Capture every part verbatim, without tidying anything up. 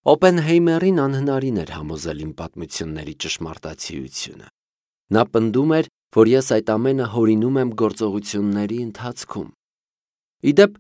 Օպենհեյմերին անհնարին էր համոզել իմ պատմությունների ճշմարտացիությունը։ Նա պնդում էր, որ ես այդ ամենը հորինում եմ գործողությունների ընթացքում։ Իդեպ,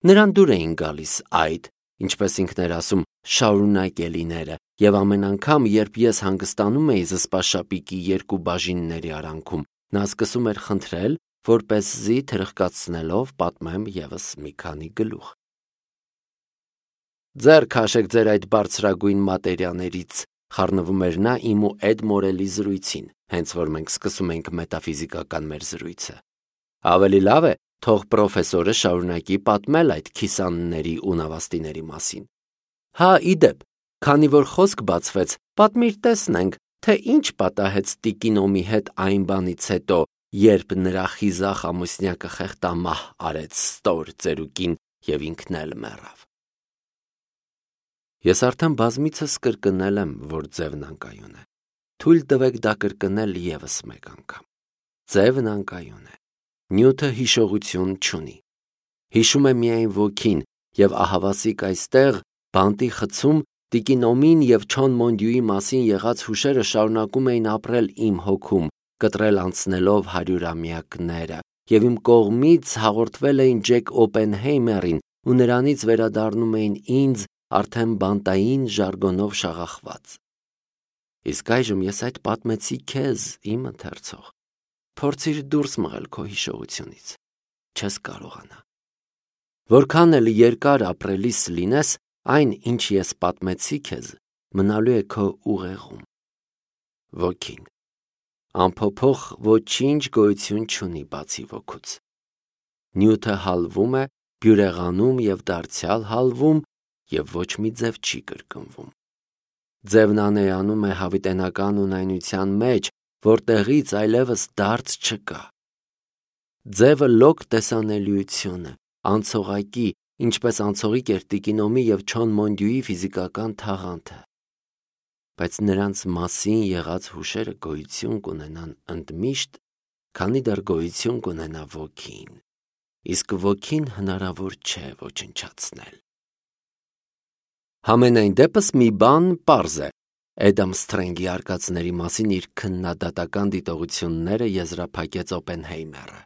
նրան դուր էին գալիս այդ, ինչպես ինքն էր ասում, շարունակելիները, և ամեն անգամ, երբ ես հանգստանում էի զսպաշապիկի երկու բաժինների արանքում, նա սկսում էր խնդրել, որպեսզի թրխկացնելով պատմեմ ևս մի քանի գլուխ։ «Ձեռ քաշեք ձեր այդ բարձրագույն մատերիաներից», խառնվում էր նա իմ ու Էդ Մորելի զրույցին, հենց որ մենք սկսում էինք մետաֆիզիկական մեր զրույցը։ Ավելի լավ է, թող պրոֆեսորը շարունակի պատմել այդ քիսանների ու նավաստիների մասին։ Հա, իդեպ, քանի որ խոսք բացվեց, պատմիր տեսնենք, թե ինչ պատահեց տիկին Օմի հետ այն բանից հետո, երբ նրա խիզախ ամուսնյակը խեղդամահ արեց ստոր ծերուկին և ինքն էլ մեռավ։ Ես արդեն բազմիցս կրկնել եմ, որ ձևն անկայուն է։ Թույլ տվեք դա կրկնել ևս մեկ անգամ։ Ձևն անկայուն է։ Նյութը հիշողություն չունի։ Հիշում է միայն ոգին, և ահավասիկ այստեղ, բանտի խցում, տիկին Օմին և Չոն Մոնդյուի մասին եղած հուշերը շարունակում էին ապրել իմ հոգում, կտրել անցնելով հարյուրամյակները, և իմ կողմից հաղորդվել էին Ջեք Օպենհեյմերին ու նրանից վերադառնում էին ինձ արդեն բանտային ժարգոնով շաղախված։ Իսկ այժմ ես այդ պատմեցի քեզ, իմ ընթերցող։ Փորձիր դուրս մղել քո հիշողությունից։ Չես կարողանա։ Որքան էլ երկար ապրելիս լինես, այն, ինչ ես պատմեցի քեզ, մնալու է քո ուղեղում։ Ոգին։ Անփոփոխ ոչինչ գոյություն չունի բացի ոգուց։ Նյութը հալվում է, բյուրեղանում և դարձյալ հալվում, և ոչ մի ձև չի կրկնվում։ Ձևն անեանում է հավիտենական ունայնության մեջ, որտեղից այլևս դարձ չկա։ Ձևը լոկ տեսանելիություն է, անցողակի, ինչպես անցողիկ էր տիկին Օմի և Չոն Մոնդյուի ֆիզիկական թաղանթը։ Բայց նրանց մասին եղած հուշերը գոյություն կունենան ընդմիշտ, քանի դեռ գոյություն կունենա ոգին, իսկ ոգին հնարավոր չէ ոչնչացնել։ Համենայն դեպս մի բան պարզ է. Էդամ Սթրենգի արկածների մասին իր քննադատական դիտողությունները եզրափակեց Օպենհեյմերը։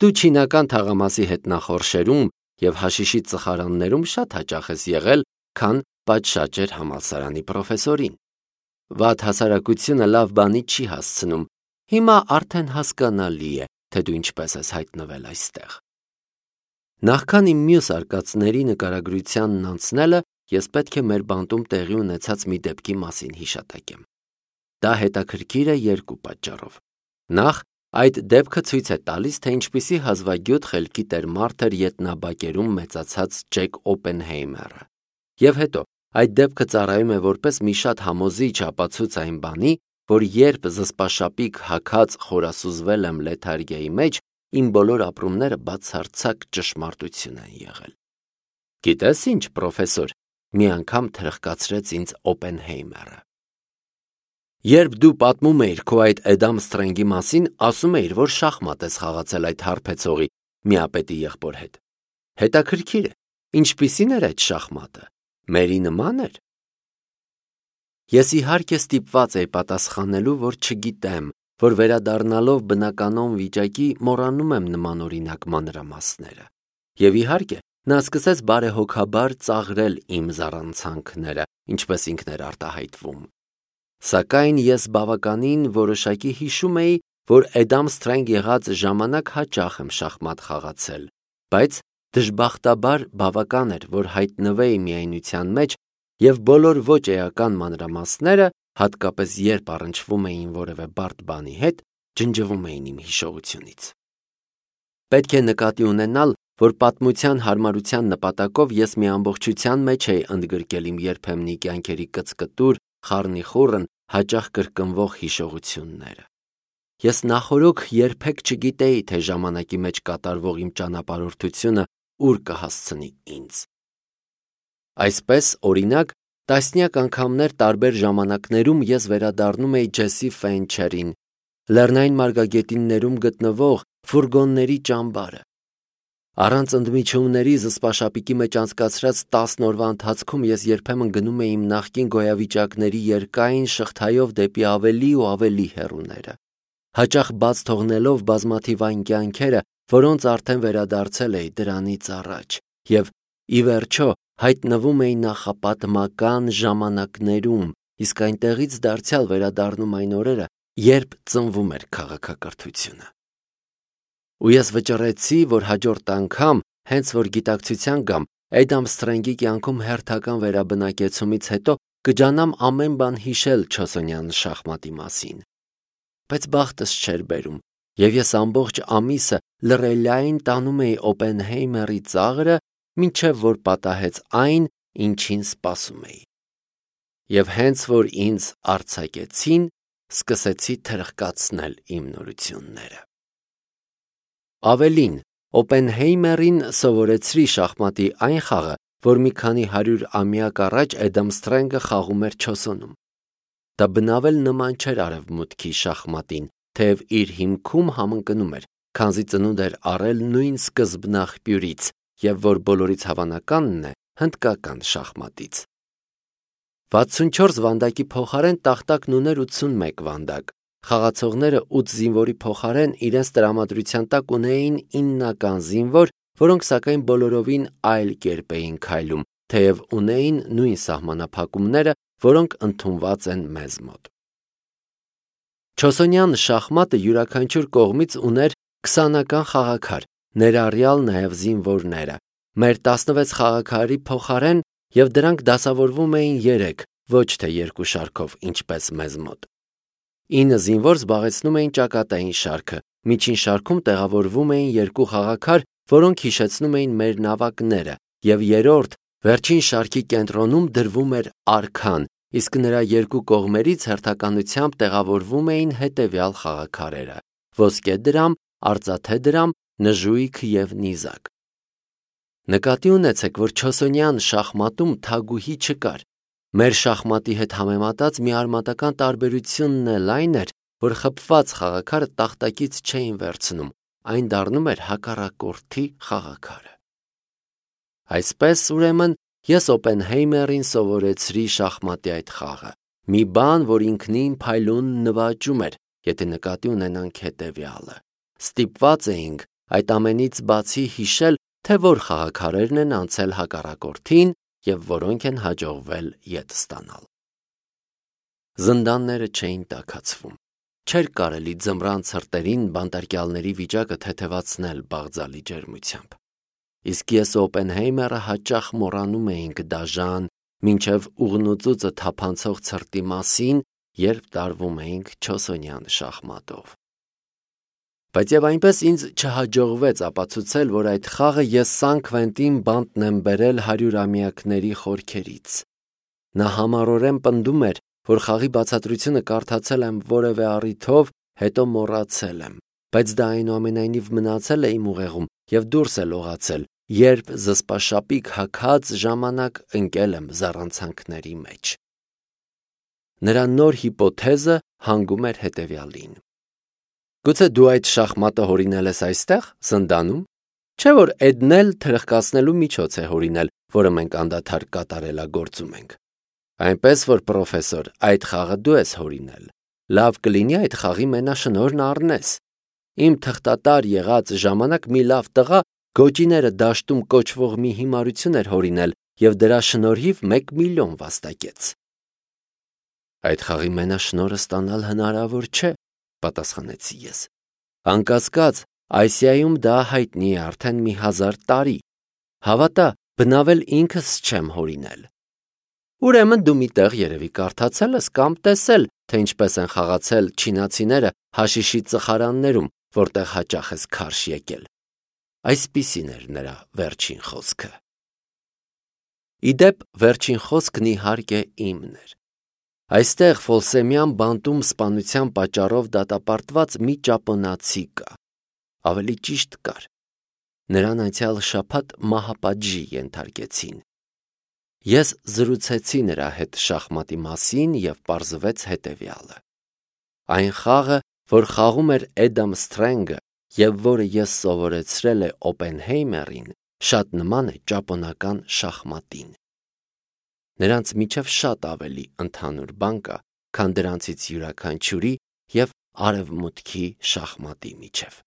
Դու չինական թաղամասի հետնախորշերում և հաշիշի ծխարաններում շատ հաճախ ես եղել, քան պատշաճ էր համալսարանի պրոֆեսորին։ Վատ հասարակությունը լավ բանի չի հասցնում, հիմա արդեն հասկանալի է, թե դու ինչպես ես հայտնվել այստեղ։ Նախքան իմ մյուս արկածների նկարագրությանն անցնելը, ես պետք է մեր բանտում տեղի ունեցած մի դեպքի մասին հիշատակեմ։ Դա հետաքրքիր է երկու պատճառով։ Նախ, այդ դեպքը ցույց է տալիս, թե ինչպիսի հազվագյուտ խելքի տեր մարդ էր ետնաբակերում մեծացած Ջեք Օպենհեյմերը։ Եվ հետո, այդ դեպքը ծառայում է որպես մի շատ համոզիչ ապացույց այն բանի, որ երբ զսպաշապիկ հագած խորասուզվել եմ լեթարգիայի մեջ, իմ բոլոր ապրումները բացարձակ ճշմարտություն են եղել։ Գիտես ինչ, պրոֆեսոր, մի անգամ թրխկացրեց ինձ Օպենհեյմերը։ Երբ դու պատմում էիր քո այդ Էդամ Սթրենգի մասին, ասում էիր, որ շախմատ ես խաղացել այդ հարբեցողի միապետի եղբոր հետ։ Հետաքրքիր է, ինչպիսին էր այդ շախմատը, մերի նման էր։ Ես իհարկե ստիպված էի պատասխանելու, որ չգիտեմ, որ վերադառնալով բնականոն վիճակի մոռանում եմ նմանօրինակ մանրամասները։ Եվ իհարկե, նա սկսեց բարեհոգաբար ծաղրել իմ զառանցանքները, ինչպես ինքն էր արտահայտվում։ Սակայն ես բավականին որոշակի հիշում էի, որ Էդամ Սթրենգ եղած ժամանակ հաճախ եմ շախմատ խաղացել, բայց դժբախտաբար բավական էր, որ հայտնվեի միայնության մեջ, և բոլոր ոչ էական մանրամասները, հատկապես երբ առնչվում էին որևէ բարդ բանի հետ, ջնջվում էին իմ հիշողությունից։ Պետք է նկատի ունենալ, որ պատմության հարմարության նպատակով ես մի ամբողջության մեջ էի ընդգրկել իմ երբեմնի կյանքերի կծկտուր, խառնիխուռն, հաճախ կրկնվող հիշողությունները։ Ես նախօրոք երբեք չգիտեի, թե ժամանակի մեջ կատարվող իմ ճանապարհորդությունը ուր կհասցնի ինձ։ Այսպես, օրինակ, տասնյակ անգամներ տարբեր ժամանակներում ես վերադառնում էի Ջեսի Ֆենչերին, լեռնային մարգագետիններում գտնվող ֆուրգոնների ճամբարը։ Առանց ընդմիջումների զսպաշապիկի մեջ անցկացրած տասն օրվա ընթացքում ես երբեմն գնում էի իմ նախկին գոյավիճակների երկայն շղթայով դեպի ավելի ու ավելի հեռուները, հաճախ բաց թողնելով բազմաթիվ այն կյանքերը, որոնց արդեն վերադարձել էի դրանից առաջ, եւ ի վերջո հայտնվում էի նախապատմական ժամանակներում, իսկ այնտեղից դարձյալ վերադառնում այն օրերը, երբ ծնվում էր քաղաքակրթությունը։ Ու ես վճռեցի, որ հաջորդ անգամ, հենց որ գիտակցության գամ, Էդամ Սթրենգի կյանքում հերթական վերաբնակեցումից հետո կջանամ ամեն բան հիշել չոսոնյան շախմատի մասին։ Բայց բախտս չէր բերում, եւ ես ամբողջ ամիսը լռելային տանում էի Օպենհեյմերի ծաղրը, մինչև որ պատահեց այն, ինչին սպասում էի։ Եվ հենց որ ինձ արձակեցին, սկսեցի թրխկացնել իմ նորությունները։ Ավելին, Օպենհեյմերին սովորեցրի շախմատի այն խաղը, որ մի քանի հարյուր ամյակ առաջ Էդամ Սթրենգը խաղում էր Չոսոնում։ Դա բնավել նման չէր արևմուտքի շախմատին, թեև իր հիմքում համընկնում էր, քանզի ծնունդ էր առել նույն սկզբնաղբյուրից, եւ որ բոլորից հավանականն է հնդկական շախմատից։ վաթսունչորս վանդակի փոխարեն տախտակն ուներ ութսունմեկ վանդակ։ Խաղացողները ութ զինվորի փոխարեն իրենց տրամադրության տակ ունեին իննական զինվոր, որոնք սակայն բոլորովին այլ կերպ էին քայլում, թեև ունեին նույն սահմանափակումները, որոնք ընդունված են մեզ մոտ։ Չոսոնյան շախմատը յուրաքանչյուր կողմից ուներ քսանական խաղաքար, ներառյալ նաև զինվորները, մեր տասնվեց խաղաքարի փոխարեն, եւ դրանք դասավորվում էին երեք, ոչ թե երկու շարքով, ինչպես մեզ մոտ։ ինը զինվոր զբաղեցնում էին ճակատային շարքը, միջին շարքում տեղավորվում էին երկու խաղաքար, որոնք հիշեցնում էին մեր նավակները, եւ երրորդ, վերջին շարքի կենտրոնում դրվում էր արքան, իսկ նրա երկու կողմերից հերթականությամբ տեղավորվում էին հետևյալ խաղաքարերը՝ ոսկե դրամ, արծաթե դրամ, նժույգ եւ նիզակ։ Նկատի ունեցեք, որ չոսոնյան շախմատում թագուհի չկար։ Մեր շախմատի հետ համեմատած մի արմատական տարբերությունն էլ այն էր, որ խփված խաղաքարը տախտակից չէին վերցնում, այն դառնում էր հակառակորդի խաղաքարը։ Այսպես, ուրեմն, ես Օպենհեյմերին սովորեցրի շախմատի այդ խաղը, մի բան, որ ինքնին փայլուն նվաճում էր, եթե նկատի ունենանք հետևյալը. ստիպված էինք այդ ամենից բացի հիշել, թե որ խաղաքարերն են անցել հակառակորդին եւ որոնք են հաջողվել ետ ստանալ։ Զնդանները չէին տաքացվում։ Չէր կարելի ձմռան ցրտերին բանտարկյալների վիճակը թեթևացնել բաղձալի ջերմությամբ։ Իսկ ես ու Օպենհեյմերը հաճախ մոռանում էինք դաժան, մինչև ուղնուծուծը թափանցող ցրտի մասին, երբ տարվում էինք չոսոնյան շախմատով։ Բայց եւ այնպես ինձ չհաջողվեց ապացուցել, որ այդ խաղը ես Սան Քվենտին բանտն եմ բերել հարյուրամյակների խորքերից։ Նա համառորեն պնդում էր, որ խաղի բացատրությունը կարդացել եմ որևէ առիթով, հետո մոռացել եմ, բայց դա այնուամենայնիվ մնացել է իմ ուղեղում եւ դուրս է լողացել, երբ զսպաշապիկ հագած ժամանակ ընկել եմ զառանցանքների մեջ։ Նրա նոր հիպոթեզը հանգում էր հետևյալին. Գուցե դու այդ շախմատը հորինել ես այստեղ, Զնդանում, չէ՞ որ Էդն էլ թրխկացնելու միջոց է հորինել, որը մենք անդադար կատարելագործում ենք։ Այնպես որ, պրոֆեսոր, այդ խաղը դու ես հորինել։ Լավ կլինի այդ խաղի մենաշնորհն առնես։ Իմ թղթատար եղած ժամանակ մի լավ տղա գոճիները դաշտում կոչվող մի հիմարություն էր հորինել եւ դրա շնորհիվ մեկ միլիոն վաստակեց։ Այդ խաղի մենաշնորհը ստանալ հնարավոր չէ, պատասխանեցի ես։ Անկասկած, Ասիայում դա հայտնի է արդեն մի հազար տարի։ Հավատա, բնավել ինքս չեմ հորինել։ Ուրեմն դու միտեղ երևի կարդացել ես կամ տեսել, թե ինչպես են խաղացել չինացիները հաշիշի ծխարաններում, որտեղ հաճախ ես քարշ եկել։ Այսպիսին էր նրա վերջին խոսքը։ Իդեպ, վերջին խոսքն իհարկե իմն էր։ Այստեղ Ֆոլսեմյան բանտում սպանության պատճառով դատապարտված մի ճապոնացի կա։ Ավելի ճիշտ կար։ Նրան անցյալ շաբաթ մահապատժի ենթարկեցին։ Ես զրուցեցի նրա հետ շախմատի մասին եւ պարզվեց հետևյալը. Այն խաղը, որ խաղում էր Էդամ Սթրենգը եւ որը ես սովորեցրել է Օպենհեյմերին, շատ նման է ճապոնական շախմատին։ Նրանց միջև շատ ավելի ընդհանուր բան կա, քան դրանցից յուրաքանչյուրի եւ արևմուտքի շախմատի միջև։